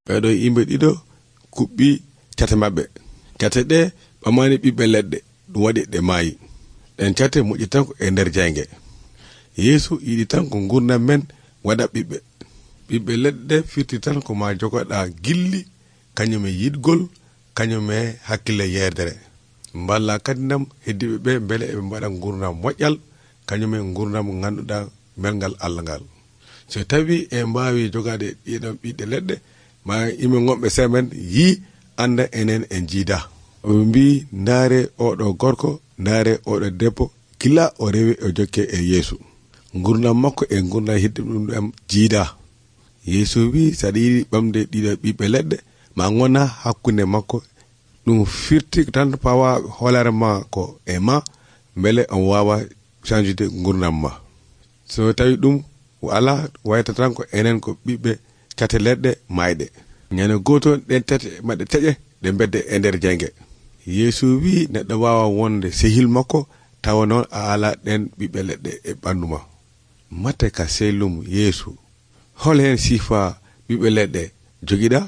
ɓeeɗo yimɓe ɗiɗo kuɓɓi cate maɓɓe. Cate ɗe ɓamani ɓiɓɓe leɗɗe ɗum waɗi ɗe maayi. Ɗen cate moƴƴi tan ko e nder jayge. Yeesu yiɗi tan ko gurdam men waɗa ɓiɓɓe leɗɗe firti tan ko ma jogoɗa gilli, kañum e yiɗgol, kañum e hakkille yerdere. Mballa kadi nam heddiɓe ɓe beele eɓe mbaɗa gurdam moƴƴal, kañum e gurdam ganduɗa melgal Allah ngal. So tawi e mbawi jogade ɗiɗon ɓiɓɓe leɗɗe, ma yimɓe gonɓe semen yi anda enen en jiida. Ɓe mbi ndaare oɗo gorko, ndaare oɗo debbo, gila o rewi o jokke e Yeesu. Gurdam makko e gurdam heddiɓe ɗum jiida. Yeesu wi saɗa yiɗi ɓamde ɗiɗo ɓiɓɓe leɗɗe ma gona hakkunde makko. Ɗum firti tan pawa hoolare ma ko e ma beele on wawa chanjude gurdam ma. So tawi ɗum ala wayta tan ko enen ko ɓiɓɓe cate leɗɗe mayɗe. Ñande goto ɗen tati maɗɗe teƴe ɗe bedde e nder jayge. Yeesu wi neɗɗo wawa wonde sehil makko tawa noon a ala ɗen ɓiɓɓe leɗɗe e ɓandu ma. Matte ka sellum Yeesu, hol hen sifa ɓiɓɓe leɗɗe jogiɗa?